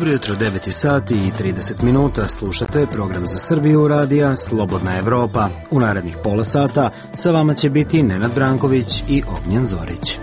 Dobro jutro, 9 sati i 30 minuta. Slušate program za Srbiju radija Slobodna Evropa. U narednih pola sata sa vama će biti Nenad Branković i Ognjen Zorić.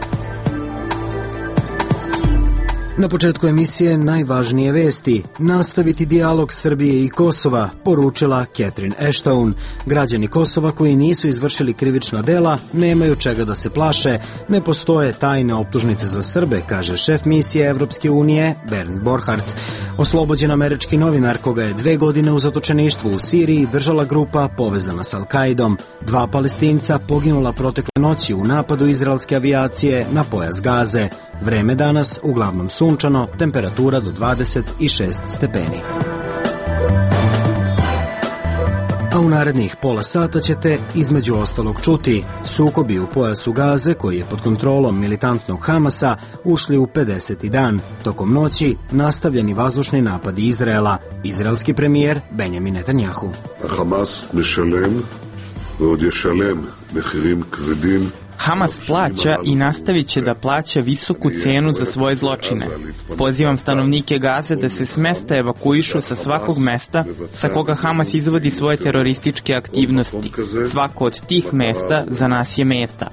Na početku emisije najvažnije vesti. Nastaviti dijalog Srbije i Kosova, poručila Catherine Ashton. Građani Kosova koji nisu izvršili krivična dela nemaju čega da se plaše. Ne postoje tajne optužnice za Srbe, kaže šef misije Evropske unije Bernd Borchardt. Oslobođen američki novinar koga je 2 godine u zatočeništvu u Siriji držala grupa povezana s Al-Kaidom. 2 Palestinca poginula protekle noći u napadu izraelske avijacije na pojas Gaze. Vreme danas uglavnom sunčano, temperatura do 26 stepeni. A u narednih pola sata ćete između ostalog čuti: sukobi u pojasu Gaze, koji je pod kontrolom militantnog Hamasa, ušli u 50. dan. Tokom noći nastavljeni vazdušni napadi Izraela. Izraelski premijer Benjamin Netanjahu. Hamas משלם ועוד ישלם מחירים כבדים. Hamas plaća i nastavit će da plaća visoku cenu za svoje zločine. Pozivam stanovnike Gaze da se s mesta evakuišu sa svakog mesta sa koga Hamas izvodi svoje terorističke aktivnosti. Svako od tih mesta za nas je meta.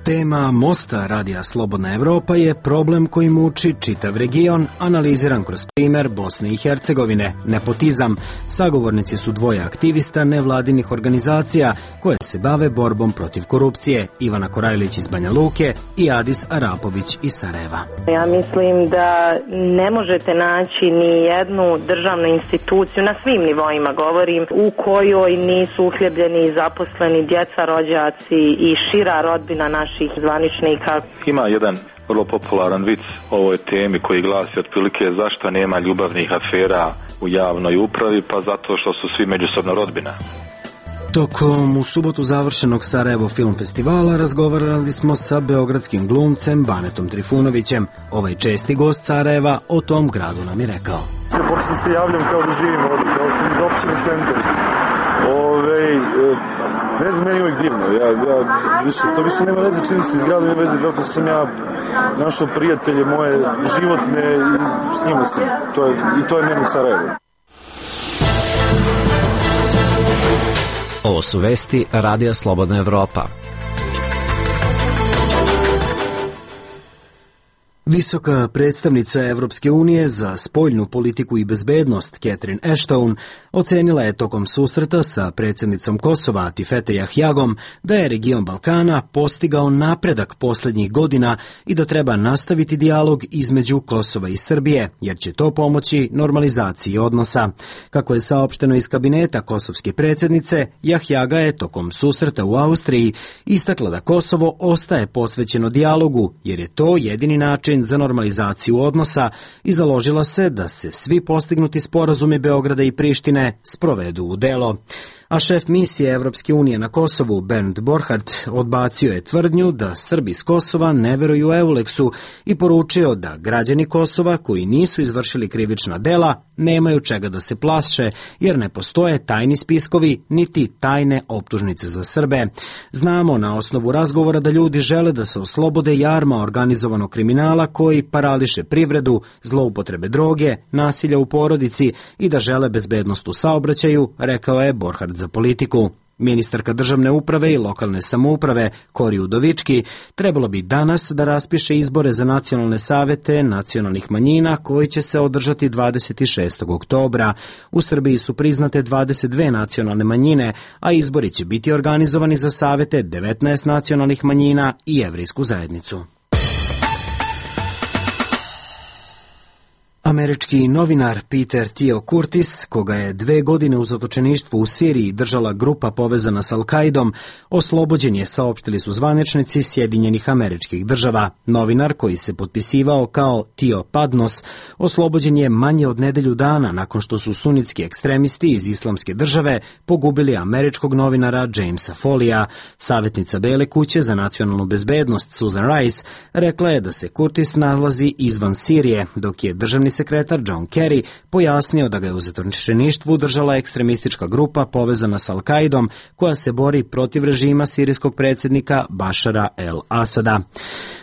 Tema mosta radija Slobodna Evropa je problem koji muči čitav region, analiziran kroz primer Bosne i Hercegovine, nepotizam. Sagovornici su 2 aktivista nevladinih organizacija koje se bave borbom protiv korupcije, Ivana Korajlić iz Banja Luke i Adis Arapović iz Sarajeva. Ja mislim da ne možete naći ni jednu državnu instituciju, na svim nivoima govorim, u kojoj nisu uhljebljeni zaposleni djeca, rođaci i šira rodbina naših zvaničnika. Ima jedan vrlo popularan vic o ovoj temi koji glasi otprilike: zašto nema ljubavnih afera u javnoj upravi? Pa zato što su svi međusobno rodbina. Tokom u subotu završenog Sarajevo film festivala razgovarali smo sa beogradskim glumcem Banetom Trifunovićem. Ovaj česti gost Sarajeva o tom gradu nam je rekao: Pošto se javljam kao da živim ovdje, kao sam iz opštine Centar. Ne znam, meni je uvijek divno. To više nema veze čini se iz grada, nema veze kako sam ja našao prijatelje moje životne i s njima sam. To je meni Sarajevo. Ovo su vesti radija Slobodna Evropa. Visoka predstavnica Evropske unije za spoljnu politiku i bezbednost Catherine Ashton ocenila je tokom susreta sa predsjednicom Kosova Atifete Jahjagom da je region Balkana postigao napredak posljednjih godina i da treba nastaviti dijalog između Kosova i Srbije, jer će to pomoći normalizaciji odnosa. Kako je saopšteno iz kabineta kosovske predsjednice, Jahjaga je tokom susreta u Austriji istakla da Kosovo ostaje posvećeno dijalogu, jer je to jedini način za normalizaciju odnosa i založila se da se svi postignuti sporazumi Beograda i Prištine sprovedu u delo. A šef misije Evropske unije na Kosovu Bernd Borchardt odbacio je tvrdnju da Srbi s Kosova ne veruju Euleksu i poručio da građani Kosova koji nisu izvršili krivična dela nemaju čega da se plaše, jer ne postoje tajni spiskovi niti tajne optužnice za Srbe. Znamo na osnovu razgovora da ljudi žele da se oslobode jarma organizovanog kriminala koji parališe privredu, zloupotrebe droge, nasilja u porodici i da žele bezbednost u saobraćaju, rekao je Borchardt za Politiku. Ministarka državne uprave i lokalne samouprave Kori Udovički trebalo bi danas da raspiše izbore za nacionalne savete nacionalnih manjina koji će se održati 26. oktobra. U Srbiji su priznate 22 nacionalne manjine, a izbori će biti organizovani za savete 19 nacionalnih manjina i jevrejsku zajednicu. Američki novinar Peter Theo Curtis, koga je 2 godine u zatočeništvu u Siriji držala grupa povezana s Al-Kaidom, oslobođen je, saopštili su zvaničnici Sjedinjenih Američkih Država. Novinar, koji se potpisivao kao Theo Padnos, oslobođen je manje od nedelju dana nakon što su sunitski ekstremisti iz Islamske države pogubili američkog novinara Jamesa Folija. Savjetnica Bele kuće za nacionalnu bezbednost Susan Rice rekla je da se Curtis nalazi izvan Sirije, dok je državni sekretar sekretar John Kerry pojasnio da ga je u zatočeništvu držala ekstremistička grupa povezana s Al-Kaidom koja se bori protiv režima sirijskog predsjednika Bašara el-Asada.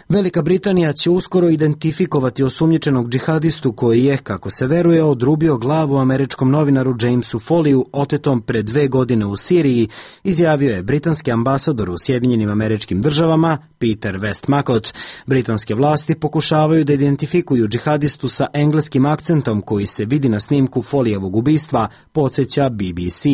Velika Britanija će uskoro identifikovati osumnjičenog džihadistu koji je, kako se veruje, odrubio glavu američkom novinaru Jamesu Folleyu otetom pre 2 godine u Siriji, izjavio je britanski ambasador u Sjedinjenim Američkim Državama Peter Westmacott. Britanske vlasti pokušavaju da identifikuju džihadistu sa engleskim akcentom koji se vidi na snimku Folleyevog ubistva, podsjeća BBC.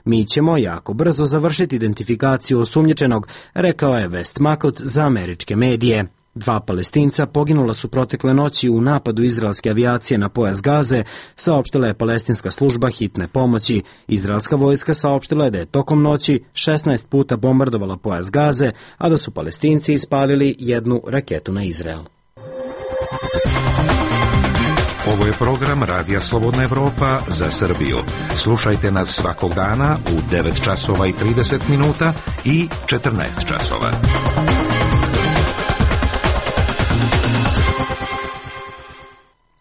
Mi ćemo jako brzo završiti identifikaciju osumnjičenog, rekao je Westmacott za američke medije. 2 Palestinca poginula su protekle noći u napadu izraelske avijacije na pojas Gaze, saopštila je palestinska služba hitne pomoći. Izraelska vojska saopštila je da je tokom noći 16 puta bombardovala pojas Gaze, a da su Palestinci ispalili 1 raketu na Izrael. Ovo je program Radija Slobodna Evropa za Srbiju. Slušajte nas svakog dana u 9 časova i 30 minuta i 14 časova.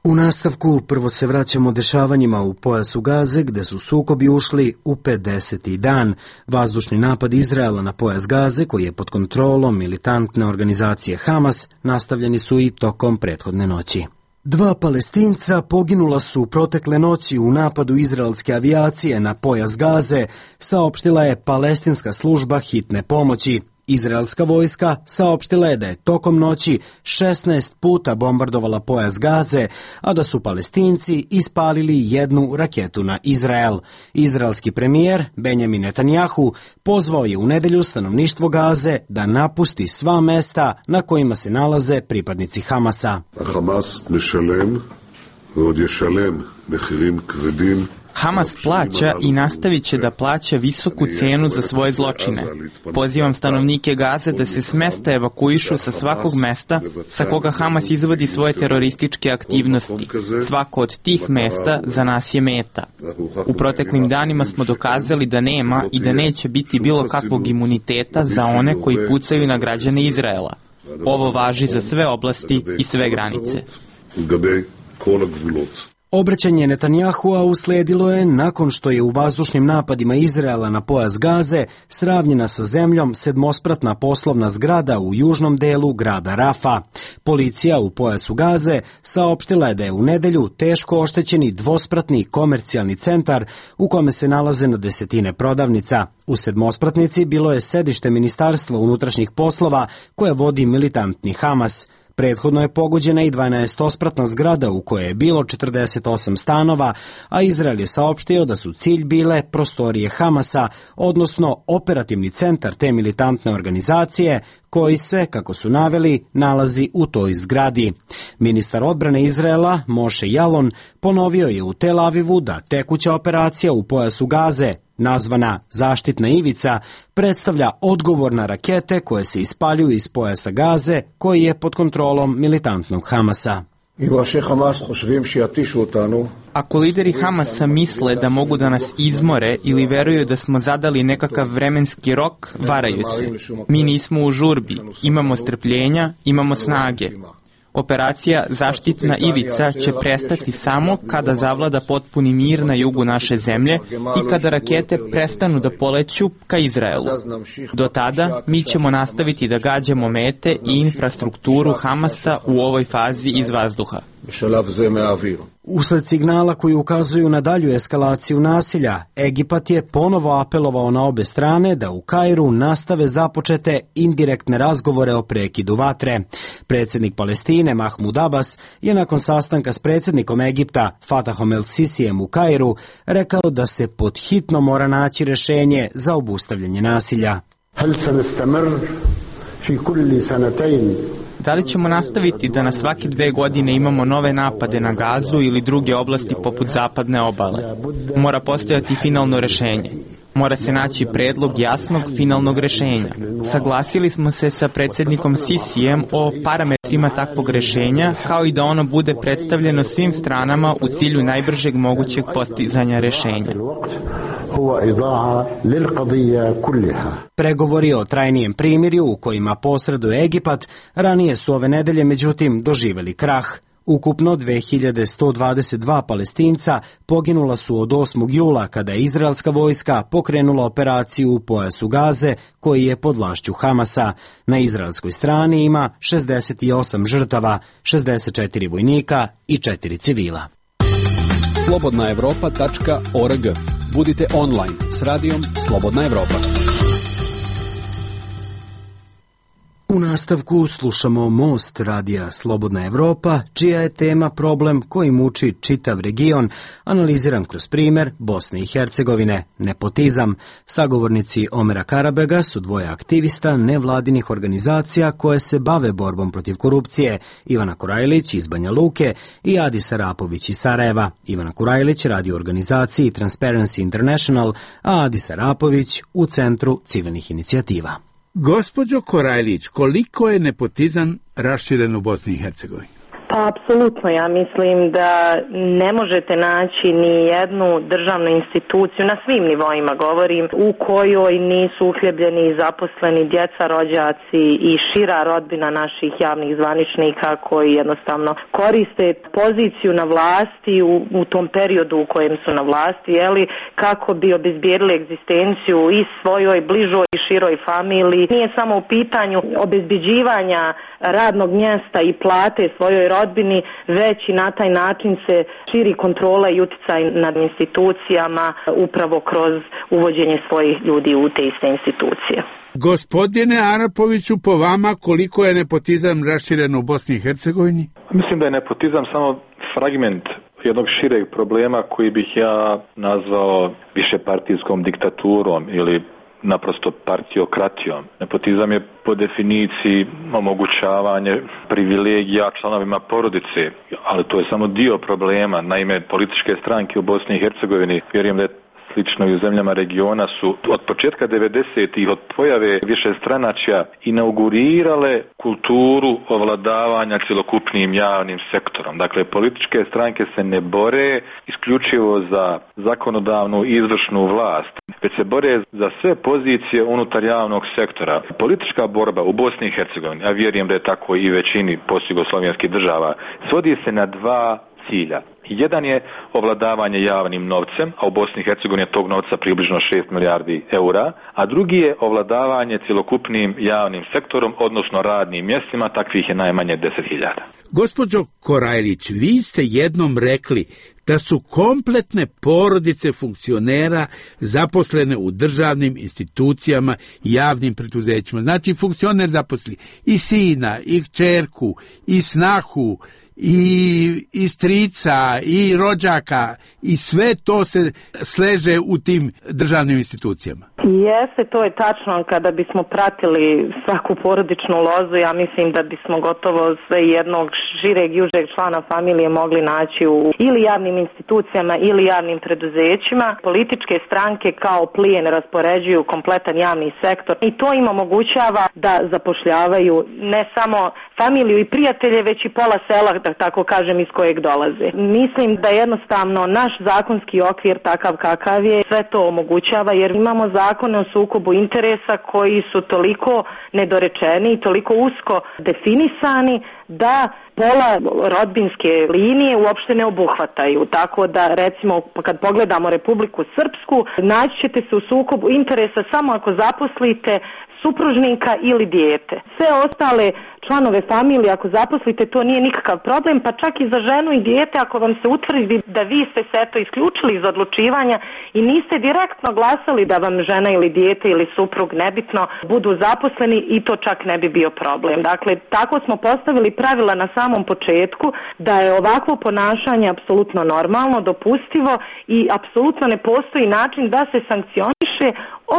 U nastavku prvo se vraćamo dešavanjima u pojasu Gaze, gde su sukobi ušli u 50. dan. Vazdušni napad Izraela na pojas Gaze, koji je pod kontrolom militantne organizacije Hamas, nastavljeni su i tokom prethodne noći. 2 Palestinca poginula su protekle noći u napadu izraelske avijacije na pojas Gaze, saopštila je palestinska služba hitne pomoći. Izraelska vojska saopštila je da je tokom noći 16 puta bombardovala pojas Gaze, a da su Palestinci ispalili 1 raketu na Izrael. Izraelski premijer Benjamin Netanjahu pozvao je u nedelju stanovništvo Gaze da napusti sva mesta na kojima se nalaze pripadnici Hamasa. Hamas mešalem, od ješalem mehirim kvedim. Hamas plaća i nastavit će da plaća visoku cenu za svoje zločine. Pozivam stanovnike Gaze da se s mesta evakuišu sa svakog mesta sa koga Hamas izvodi svoje terorističke aktivnosti. Svako od tih mesta za nas je meta. U proteklim danima smo dokazali da nema i da neće biti bilo kakvog imuniteta za one koji pucaju na građane Izraela. Ovo važi za sve oblasti i sve granice. Obraćanje Netanjahua usledilo je nakon što je u vazdušnim napadima Izraela na pojas Gaze sravnjena sa zemljom 7-spratna poslovna zgrada u južnom delu grada Rafa. Policija u pojasu Gaze saopštila je da je u nedelju teško oštećeni 2-spratni komercijalni centar u kome se nalaze na desetine prodavnica. U 7-spratnici bilo je sedište Ministarstva unutrašnjih poslova koje vodi militantni Hamas. Prethodno je pogođena i 12-spratna zgrada u kojoj je bilo 48 stanova, a Izrael je saopštio da su cilj bile prostorije Hamasa, odnosno operativni centar te militantne organizacije, koji se, kako su naveli, nalazi u toj zgradi. Ministar odbrane Izraela, Moshe Yaalon, ponovio je u Tel Avivu da tekuća operacija u pojasu Gaze, nazvana Zaštitna ivica, predstavlja odgovor na rakete koje se ispaljuju iz pojasa Gaze, koji je pod kontrolom militantnog Hamasa. Ako lideri Hamasa misle da mogu da nas izmore ili veruju da smo zadali nekakav vremenski rok, varaju se. Mi nismo u žurbi, imamo strpljenja, imamo snage. Operacija Zaštitna ivica će prestati samo kada zavlada potpuni mir na jugu naše zemlje i kada rakete prestanu da poleću ka Izraelu. Do tada mi ćemo nastaviti da gađamo mete i infrastrukturu Hamasa u ovoj fazi iz vazduha. Usled signala koji ukazuju na dalju eskalaciju nasilja, Egipat je ponovo apelovao na obe strane da u Kairu nastave započete indirektne razgovore o prekidu vatre. Predsjednik Palestine Mahmud Abbas je nakon sastanka s predsjednikom Egipta Fatahom el-Sisijem u Kairu rekao da se pod hitno mora naći rješenje za obustavljanje nasilja. Da li ćemo nastaviti da na svake 2 godine imamo nove napade na Gazu ili druge oblasti poput zapadne obale? Mora postojati finalno rješenje. Mora se naći predlog jasnog finalnog rješenja. Saglasili smo se sa predsjednikom Sisijem o parametrima takvog rješenja, kao i da ono bude predstavljeno svim stranama u cilju najbržeg mogućeg postizanja rješenja. Pregovori o trajnijem primirju u kojima posreduje Egipat ranije su ove nedelje međutim doživjeli krah. Ukupno 2122 Palestinca poginula su od 8. jula kada je izraelska vojska pokrenula operaciju u pojasu Gaze koji je pod vlašću Hamasa. Na izraelskoj strani ima 68 žrtava, 64 vojnika i 4 civila. slobodnaevropa.org. Budite online s radijom Slobodna Evropa. U nastavku slušamo Most radija Slobodna Evropa, čija je tema problem koji muči čitav region, analiziran kroz primer Bosne i Hercegovine, nepotizam. Sagovornici Omera Karabega su dvoje aktivista nevladinih organizacija koje se bave borbom protiv korupcije, Ivana Kurajlić iz Banja Luke i Adis Arapović iz Sarajeva. Ivana Kurajlić radi u organizaciji Transparency International, a Adis Arapović u Centru civilnih inicijativa. Gospođo Korajlić, koliko je nepotizam raširen u Bosni i Hercegovini? Pa apsolutno, ja mislim da ne možete naći ni jednu državnu instituciju, na svim nivoima govorim, u kojoj nisu uhljebljeni zaposleni djeca, rođaci i šira rodbina naših javnih zvaničnika koji jednostavno koriste poziciju na vlasti u tom periodu u kojem su na vlasti, kako bi obezbijedili egzistenciju i svojoj bližoj i široj familiji. Nije samo u pitanju obezbeđivanja radnog mjesta i plate svojoj rodbini, već i na taj način se širi kontrola i utjecaj nad institucijama upravo kroz uvođenje svojih ljudi u te iste institucije. Gospodine Arapoviću, po vama koliko je nepotizam raširen u Bosni i Hercegovini? Mislim da je nepotizam samo fragment jednog šireg problema koji bih ja nazvao višepartijskom diktaturom ili naprosto partiokratijom. Nepotizam je po definiciji omogućavanje privilegija članovima porodice, ali to je samo dio problema. Naime, političke stranke u Bosni i Hercegovini, vjerujem da je slično i u zemljama regiona, su od početka 90-ih, od pojave višestranačja, inaugurirale kulturu ovladavanja cjelokupnim javnim sektorom. Dakle, političke stranke se ne bore isključivo za zakonodavnu i izvršnu vlast, već se bore za sve pozicije unutar javnog sektora. Politička borba u Bosni i Hercegovini, a vjerujem da je tako i većini postjugoslovenskih država, svodi se na dva cilja. Jedan je ovladavanje javnim novcem, a u Bosni i Hercegovini je tog novca približno 6 milijardi eura, a drugi je ovladavanje cjelokupnim javnim sektorom, odnosno radnim mjestima, takvih je najmanje 10.000. Gospođo Korajlić, vi ste jednom rekli da su kompletne porodice funkcionera zaposlene u državnim institucijama i javnim preduzećima. Znači, funkcioner zaposli i sina, i kćerku, i snahu, i strica, i rođaka, i sve to se sleže u tim državnim institucijama. Jeste, to je tačno. Kada bismo pratili svaku porodičnu lozu, ja mislim da bismo gotovo sve jednog šireg i užeg člana familije mogli naći u ili javnim institucijama ili javnim preduzećima. Političke stranke kao plijen raspoređuju kompletan javni sektor i to im omogućava da zapošljavaju ne samo familiju i prijatelje, već i pola sela, da tako kažem, iz kojeg dolaze. Mislim da jednostavno naš zakonski okvir takav kakav je sve to omogućava, jer imamo zakone o sukobu interesa koji su toliko nedorečeni i toliko usko definisani da pola rodbinske linije uopšte ne obuhvataju. Tako da, recimo, kad pogledamo Republiku Srpsku, naći ćete se u sukobu interesa samo ako zaposlite supružnika ili dijete. Sve ostale članove familije, ako zaposlite, to nije nikakav problem, pa čak i za ženu i dijete, ako vam se utvrdi da vi ste se eto isključili iz odlučivanja i niste direktno glasali da vam žena ili dijete ili suprug, nebitno, budu zaposleni, i to čak ne bi bio problem. Dakle, tako smo postavili pravila na samom početku da je ovakvo ponašanje apsolutno normalno, dopustivo i apsolutno ne postoji način da se sankcioniše,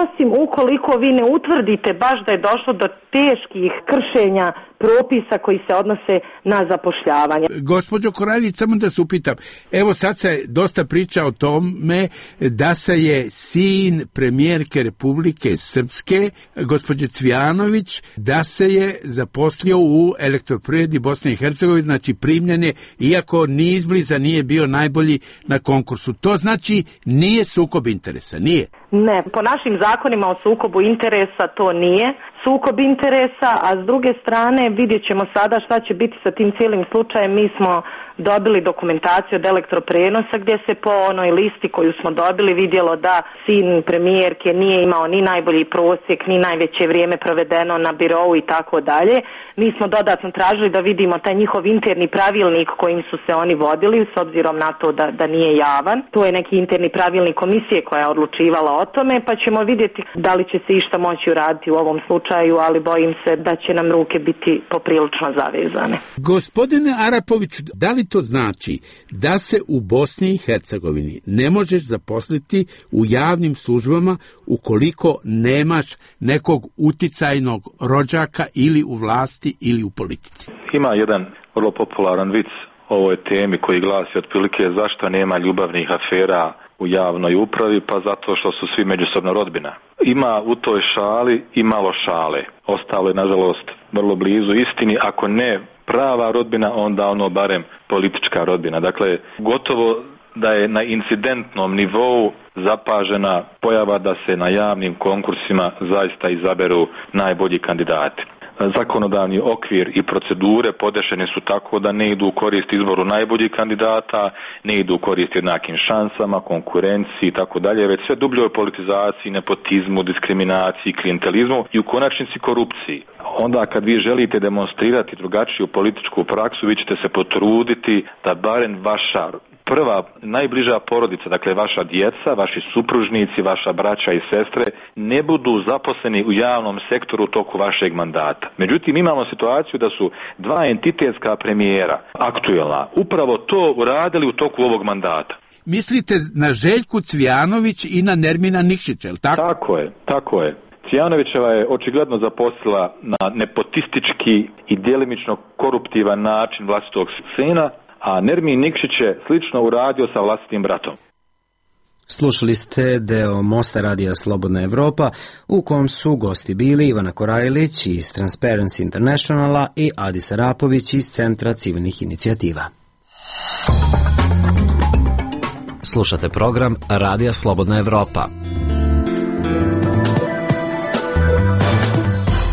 osim ukoliko vi ne utvrdite baš da je došlo do teških kršenja propisa koji se odnose na zapošljavanje. Gospođo Korajlić, samo da se upitam, evo sad se dosta priča o tome da se je sin premijerke Republike Srpske, gospođe Cvijanović, da se je zaposlio u Elektroprivredi Bosne i Hercegovine, znači primljen je, iako ni izbliza nije bio najbolji na konkursu. To znači nije sukob interesa, nije? Ne, po našim zakonima o sukobu interesa to nije sukob interesa, a s druge strane vidjet ćemo sada šta će biti sa tim cijelim slučajem. Mi smo dobili dokumentaciju od elektroprenosa gdje se po onoj listi koju smo dobili vidjelo da sin premijerke nije imao ni najbolji prosjek, ni najveće vrijeme provedeno na birou i tako dalje. Mi smo dodatno tražili da vidimo taj njihov interni pravilnik kojim su se oni vodili, s obzirom na to da nije javan. To je neki interni pravilnik komisije koja je odlučivala o tome, pa ćemo vidjeti da li će se išta moći uraditi u ovom slučaju, ali bojim se da će nam ruke biti poprilično zavezane. Gospodine Arapoviću, da li to znači da se u Bosni i Hercegovini ne možeš zaposliti u javnim službama ukoliko nemaš nekog uticajnog rođaka ili u vlasti ili u politici? Ima jedan vrlo popularan vic o ovoj temi koji glasi otprilike zašto nema ljubavnih afera u javnoj upravi, pa zato što su svi međusobno rodbina. Ima u toj šali i malo šale. Ostalo je, nažalost, vrlo blizu istini, ako ne prava rodbina, onda ono barem politička rodbina. Dakle, gotovo da je na incidentnom nivou zapažena pojava da se na javnim konkursima zaista izaberu najbolji kandidati. Zakonodavni okvir i procedure podešene su tako da ne idu u korist izboru najboljih kandidata, ne idu u korist jednakim šansama, konkurenciji i tako dalje, već sve dubljoj politizaciji, nepotizmu, diskriminaciji, klijentelizmu i u konačnici korupciji. Onda kad vi želite demonstrirati drugačiju političku praksu, vi ćete se potruditi da barem vaša prva, najbliža porodica, dakle vaša djeca, vaši supružnici, vaša braća i sestre, ne budu zaposleni u javnom sektoru u toku vašeg mandata. Međutim, imamo situaciju da su dva entitetska premijera, aktuelna, upravo to uradili u toku ovog mandata. Mislite na Željku Cvijanović i na Nermina Nikšića, je li tako? Tako je. Cvijanovićeva je očigledno zaposlila na nepotistički i djelimično koruptivan način vlastitog sina, a Nermin Nikšić je slično uradio sa vlastitim bratom. Slušali ste deo Mosta radija Slobodna Evropa, u kom su gosti bili Ivana Korajlić iz Transparency Internationala i Adis Arapović iz Centra civilnih inicijativa. Slušate program Radija Slobodna Evropa.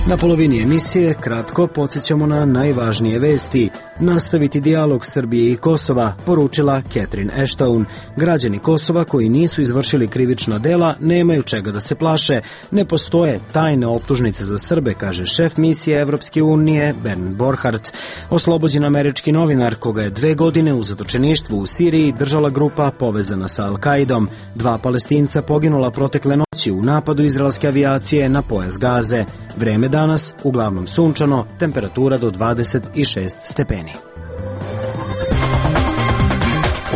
Na polovini emisije kratko podsjećamo na najvažnije vesti. Nastaviti dijalog Srbije i Kosova, poručila Catherine Ashton. Građani Kosova koji nisu izvršili krivična dela nemaju čega da se plaše. Ne postoje tajne optužnice za Srbe, kaže šef misije Evropske unije Bernd Borchardt. Oslobođen američki novinar koga je 2 godine u zatočeništvu u Siriji držala grupa povezana sa Al-Kaidom. 2 Palestinca poginula protekle noći u napadu izraelske avijacije na pojas Gaze. Vreme danas uglavnom sunčano, temperatura do 26 stepeni.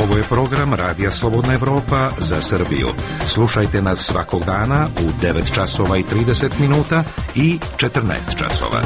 Ovo je program Radija Slobodna Evropa za Srbiju. Slušajte nas svakog dana u 9 časova i 30 minuta i 14 časova.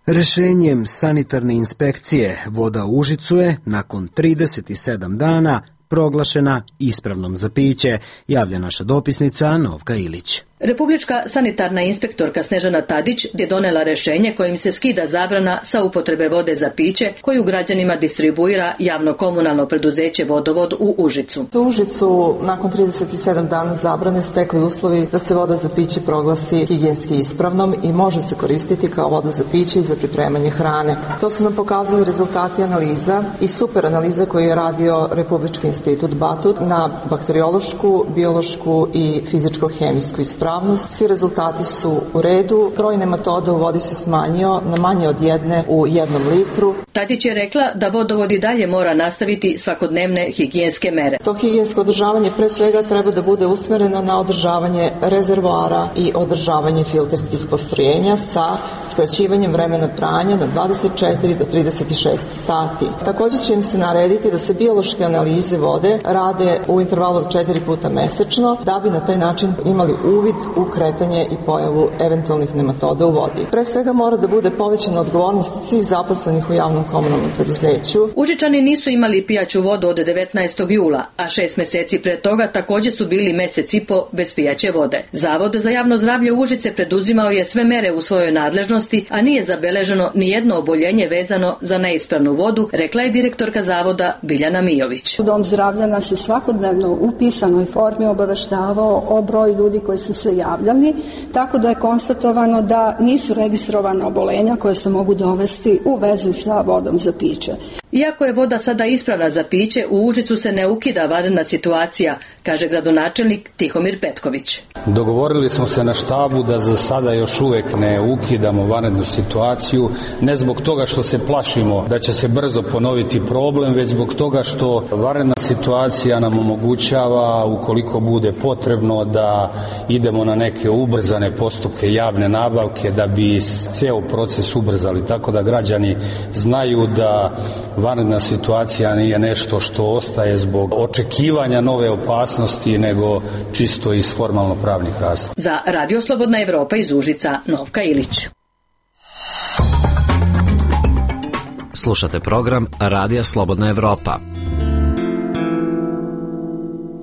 Rešenjem sanitarne inspekcije voda u Užicu je nakon 37 dana proglašena ispravnom za piće, javlja naša dopisnica Novka Ilić. Republička sanitarna inspektorka Snežana Tadić je donela rešenje kojim se skida zabrana sa upotrebe vode za piće koju građanima distribuira javno komunalno preduzeće Vodovod u Užicu. U Užicu nakon 37 dana zabrane stekli uslovi da se voda za piće proglasi higijenski ispravnom i može se koristiti kao voda za piće i za pripremanje hrane. To su nam pokazali rezultati analiza i super analiza koju je radio Republički institut Batut na bakteriološku, biološku i fizičko-hemijsku ispravnost. Svi rezultati su u redu. Broj nematoda u vodi se smanjio na manje od 1 u 1 litru. Tadić je rekla da vodovod i dalje mora nastaviti svakodnevne higijenske mere. To higijensko održavanje pre svega treba da bude usmereno na održavanje rezervoara i održavanje filterskih postrojenja sa skraćivanjem vremena pranja na 24 do 36 sati. Također će im se narediti da se biološke analize vode rade u intervalu od 4 puta mesečno, da bi na taj način imali uvid u kretanje i pojavu eventualnih nematoda u vodi. Pre svega mora da bude povećana odgovornost svih zaposlenih u javnom komunalnom preduzeću. Užičani nisu imali pijaću vodu od 19. jula, a 6 meseci pre toga također su bili mesec i po bez pijaće vode. Zavod za javno zdravlje Užice preduzimao je sve mere u svojoj nadležnosti, a nije zabeleženo ni jedno oboljenje vezano za neispravnu vodu, rekla je direktorka zavoda Biljana Mijović. Dom zdravlja nas je svakodnevno u pisanoj formi obaveštavao o broju ljudi koji su se se javljali, tako da je konstatovano da nisu registrovana obolenja koje se mogu dovesti u vezu sa vodom za piće. Iako je voda sada ispravna za piće, u Užicu se ne ukida vanredna situacija, kaže gradonačelnik Tihomir Petković. Dogovorili smo se na štabu da za sada još uvek ne ukidamo vanrednu situaciju, ne zbog toga što se plašimo da će se brzo ponoviti problem, već zbog toga što vanredna situacija nam omogućava, ukoliko bude potrebno, da idemo na neke ubrzane postupke javne nabavke da bi ceo proces ubrzali, tako da građani znaju da vanredna situacija nije nešto što ostaje zbog očekivanja nove opasnosti, nego čisto iz formalno-pravnih razloga. Za Radio Slobodna Evropa iz Užica, Novka Ilić. Slušate program Radija Slobodna Evropa.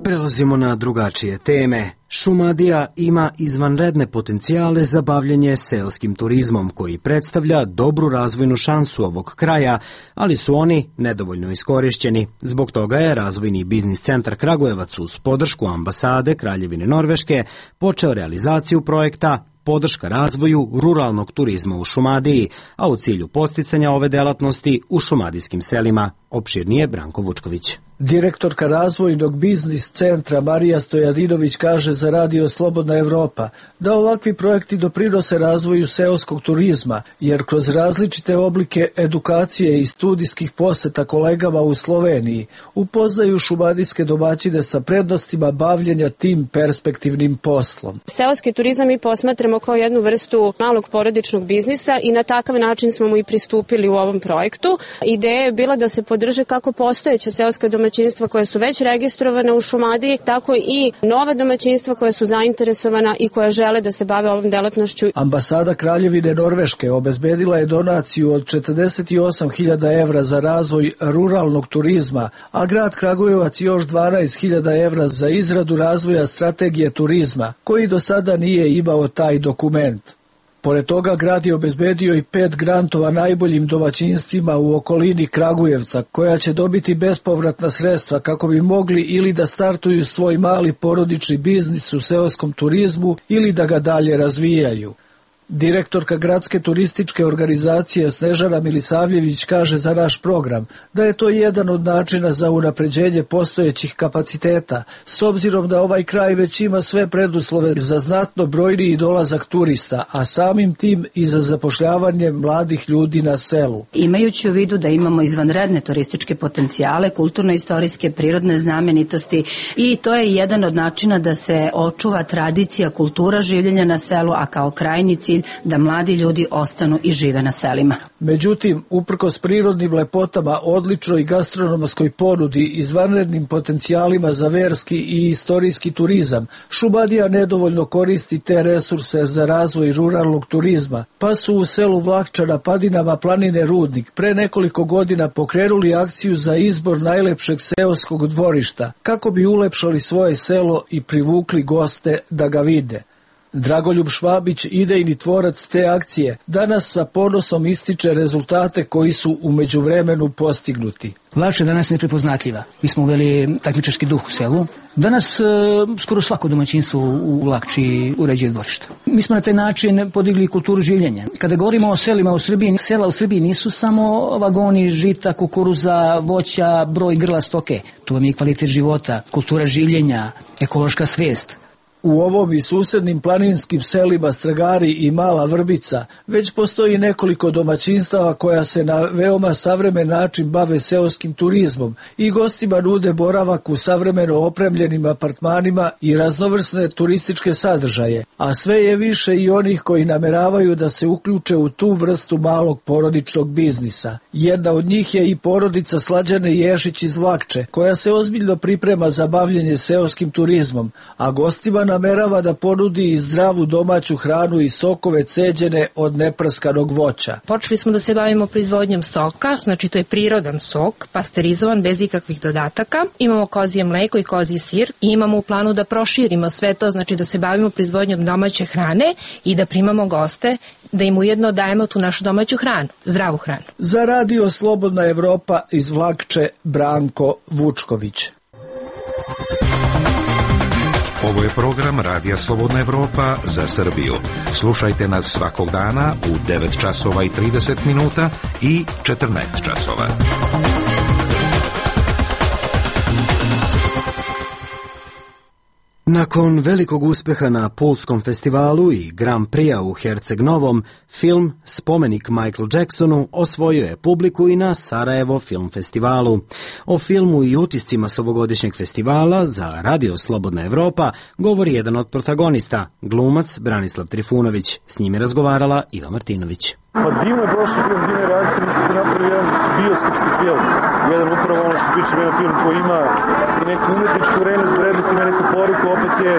Prelazimo na drugačije teme. Šumadija ima izvanredne potencijale za bavljenje seoskim turizmom, koji predstavlja dobru razvojnu šansu ovog kraja, ali su oni nedovoljno iskorišćeni. Zbog toga je Razvojni biznis centar Kragujevac uz podršku ambasade Kraljevine Norveške počeo realizaciju projekta Podrška razvoju ruralnog turizma u Šumadiji, a u cilju podsticanja ove delatnosti u šumadijskim selima. Opširnije Branko Vučković. Direktorka Razvojnog biznis centra Marija Stojadinović kaže za Radio Slobodna Evropa da ovakvi projekti doprinose razvoju seoskog turizma, jer kroz različite oblike edukacije i studijskih poseta kolegama u Sloveniji upoznaju šumadijske domaćine sa prednostima bavljenja tim perspektivnim poslom. Seoski turizam mi posmatramo kao jednu vrstu malog porodičnog biznisa i na takav način smo mu i pristupili u ovom projektu. Ideja je bila da se podrže kako postojeća seoska domaćinstva koja su već registrovana u Šumadiji, tako i nova domaćinstva koja su zainteresovana i koja žele da se bave ovom delatnošću. Ambasada Kraljevine Norveške obezbedila je donaciju od 48.000 evra za razvoj ruralnog turizma, a grad Kragujevac još 12.000 evra za izradu razvoja strategije turizma, koji do sada nije imao taj dokument. Pored toga, grad je obezbedio i 5 grantova najboljim domaćinstvima u okolini Kragujevca, koja će dobiti bespovratna sredstva kako bi mogli ili da startuju svoj mali porodični biznis u seoskom turizmu ili da ga dalje razvijaju. Direktorka gradske turističke organizacije Snežana Milisavljević kaže za naš program da je to jedan od načina za unapređenje postojećih kapaciteta, s obzirom da ovaj kraj već ima sve preduslove za znatno brojniji dolazak turista, a samim tim i za zapošljavanje mladih ljudi na selu. Imajući u vidu da imamo izvanredne turističke potencijale, kulturno-istorijske, prirodne znamenitosti, i to je jedan od načina da se očuva tradicija, kultura življenja na selu, a kao krajnji cilj da mladi ljudi ostanu i žive na selima. Međutim, uprkos prirodnim lepotama, odličnoj gastronomskoj ponudi, izvanrednim potencijalima za verski i istorijski turizam, Šumadija nedovoljno koristi te resurse za razvoj ruralnog turizma, pa su u selu Vlakča na padinama planine Rudnik pre nekoliko godina pokrenuli akciju za izbor najlepšeg seoskog dvorišta, kako bi ulepšali svoje selo i privukli goste da ga vide. Dragoljub Švabić, idejni tvorac te akcije, danas sa ponosom ističe rezultate koji su u međuvremenu postignuti. Vlakča danas neprepoznatljiva. Mi smo uveli takmičarski duh u selu. Danas skoro svako domaćinstvo u Vlakči uređuje dvorište. Mi smo na taj način podigli kulturu življenja. Kada govorimo o selima u Srbiji, sela u Srbiji nisu samo vagoni žita, kukuruza, voća, broj grla stoke. Tu vam je kvalitet života, kultura življenja, ekološka svest. U ovom i susednim planinskim selima Stragari i Mala Vrbica već postoji nekoliko domaćinstava koja se na veoma savremen način bave seoskim turizmom i gostima nude boravak u savremeno opremljenim apartmanima i raznovrsne turističke sadržaje, a sve je više i onih koji nameravaju da se uključe u tu vrstu malog porodičnog biznisa. Jedna od njih je i porodica Slađane Ješić iz Vlakče, koja se ozbiljno priprema za bavljenje seoskim turizmom, a gostima namerava da ponudi i zdravu domaću hranu i sokove ceđene od neprskanog voća. Počeli smo da se bavimo proizvodnjom soka, znači to je prirodan sok, pasterizovan bez ikakvih dodataka. Imamo kozije mleko i kozji sir i imamo u planu da proširimo sve to, znači da se bavimo proizvodnjom domaće hrane i da primamo goste, da im ujedno dajemo tu našu domaću hranu, zdravu hranu. Za Radio Slobodna Evropa iz Vlakče, Branko Vučković. Ovo je program Radija Slobodna Evropa za Srbiju. Slušajte nas svakog dana u 9 časova i 30 minuta i 14 časova. Nakon velikog uspeha na Pulskom festivalu i Grand Prix-a u Herceg Novom, film Spomenik Michael Jacksonu osvojio je publiku i na Sarajevo film festivalu. O filmu i utiscima s ovogodišnjeg festivala za Radio Slobodna Evropa govori jedan od protagonista, glumac Branislav Trifunović. S njim je razgovarala Iva Martinović. Pa divno je prošlo film, divne reakcije, mislim da napravio jedan bioskopski film. Jedan upravo ono što pričam, jedan film koji ima i neku umetničku vrednost, ima neku poruku, opet je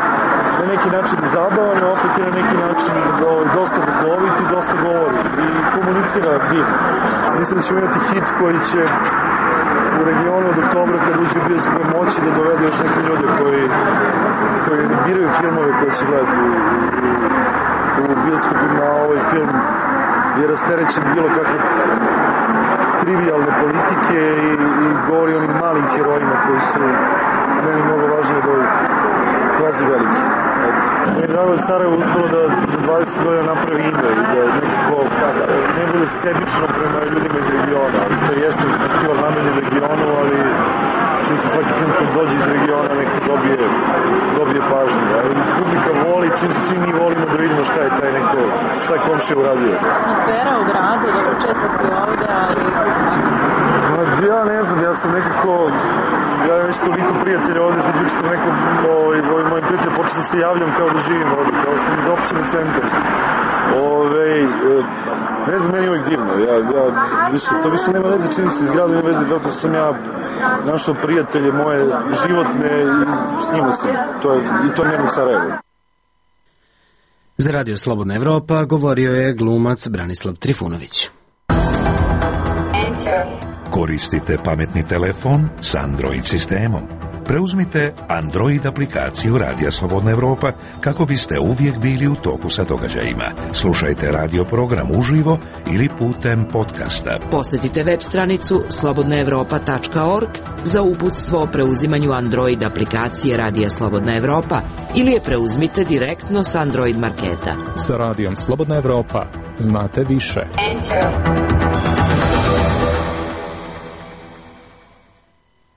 na neki način zabavan, opet je na neki način dosta duhovit i dosta govori i komunicira divno. Mislim da ćemo imati hit koji će u regionu od oktobra kad uđe u bioskope moći da dovede još neke ljude koji biraju filmove koje će gledati u bioskopima. Ovaj film je rasterećen bilo kakve trivialne politike i govori o onim malim herojima koji su meni mnogo važniji od ovih kvazi veliki. Meni je drago da Sarajevo uspelo da za 20 godina napravi ime i da nekako ne bude sebično prema ljudima iz regiona. To jeste festival namenjen regionu, ali čim se svaki film koji dođe iz regiona neko dobije pažnju. Publika voli, čim se svi mi volimo da vidimo šta je komšija uradio. Atmosfera u gradu, dobro često ste ovde, ali... Ja ne znam, ja sam nekako... Ja imam već toliko prijatelja ovde, sad bih sam neko... Moji prijatelji počeo da se javljam kao da živim ovde, kao sam iz opštine Centar. Ne znam, meni je uvijek divno. To više nema veze čini se iz grada, nema veze kako sam ja našao prijatelje moje životne i s njima sam. I to je meni Sarajevo. Za Radio Slobodna Evropa govorio je glumac Branislav Trifunović. Koristite pametni telefon s Android sistemom. Preuzmite Android aplikaciju Radija Slobodna Evropa kako biste uvijek bili u toku sa događajima. Slušajte radio program uživo ili putem podcasta. Posjetite web stranicu slobodnaevropa.org za uputstvo o preuzimanju Android aplikacije Radija Slobodna Evropa ili je preuzmite direktno s Android marketa. Sa Radijom Slobodna Evropa znate više.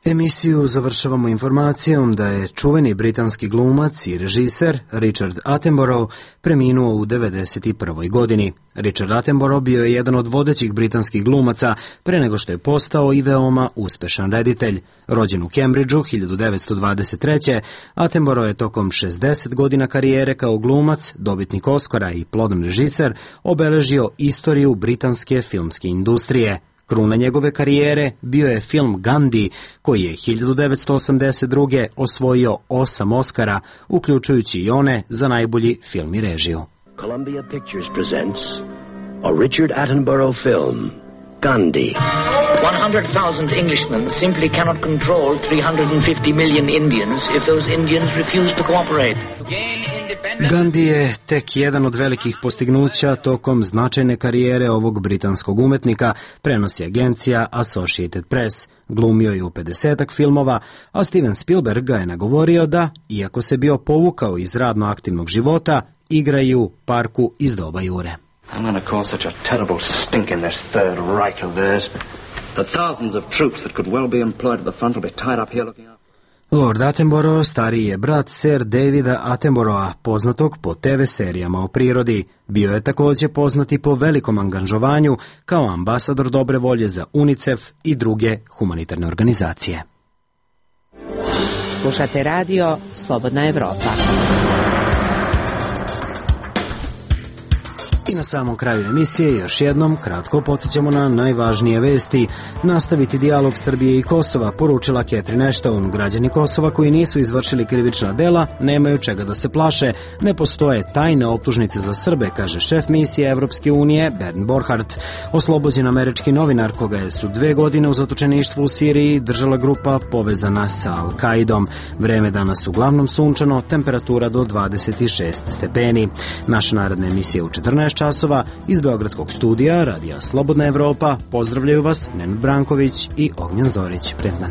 Emisiju završavamo informacijom da je čuveni britanski glumac i režiser Richard Attenborough preminuo u 91. godini. Richard Attenborough bio je jedan od vodećih britanskih glumaca pre nego što je postao i veoma uspešan reditelj. Rođen u Cambridgeu 1923. Attenborough je tokom 60 godina karijere kao glumac, dobitnik Oscara i plodan režiser obeležio istoriju britanske filmske industrije. Kruna njegove karijere bio je film Gandhi, koji je 1982. osvojio 8 Oscara, uključujući i one za najbolji film i režiju. Columbia Pictures presents a Richard Attenborough film, Gandhi. 100,000 Englishmen simply cannot control 350 million Indians if those Indians refuse to cooperate. Gandhi je tek jedan od velikih postignuća tokom značajne karijere ovog britanskog umetnika, prenosi agencija Associated Press. Glumio je u 50-ak filmova, a Steven Spielberg ga je nagovorio da, iako se bio povukao iz radno aktivnog života, igra i u Parku iz doba Jure. I'm going to cause such a terrible stink in this Third Reich of theirs that thousands of troops that could well be employed at the front will be tied up here looking out. Lord Attenborough stariji je brat Sir Davida Attenborougha, poznatog po TV serijama o prirodi. Bio je također poznati po velikom angažovanju kao ambasador dobre volje za UNICEF i druge humanitarne organizacije. Slušate radio Slobodna Evropa. I na samom kraju emisije još jednom kratko podsjećamo na najvažnije vesti. Nastaviti dijalog Srbije i Kosova, poručila Catherine Ashton. Građani Kosova koji nisu izvršili krivična dela nemaju čega da se plaše. Ne postoje tajne optužnice za Srbe, kaže šef misije Evropske unije Bernd Borchardt. Oslobođen američki novinar koga su 2 godine u zatočeništvu u Siriji držala grupa povezana sa Al-Kaidom. Vreme danas uglavnom sunčano, temperatura do 26 stepeni. Naša naredna emisija u 14 časova iz Beogradskog studija Radija Slobodna Evropa. Pozdravljaju vas Nenad Branković i Ognjen Zorić. Prijatno.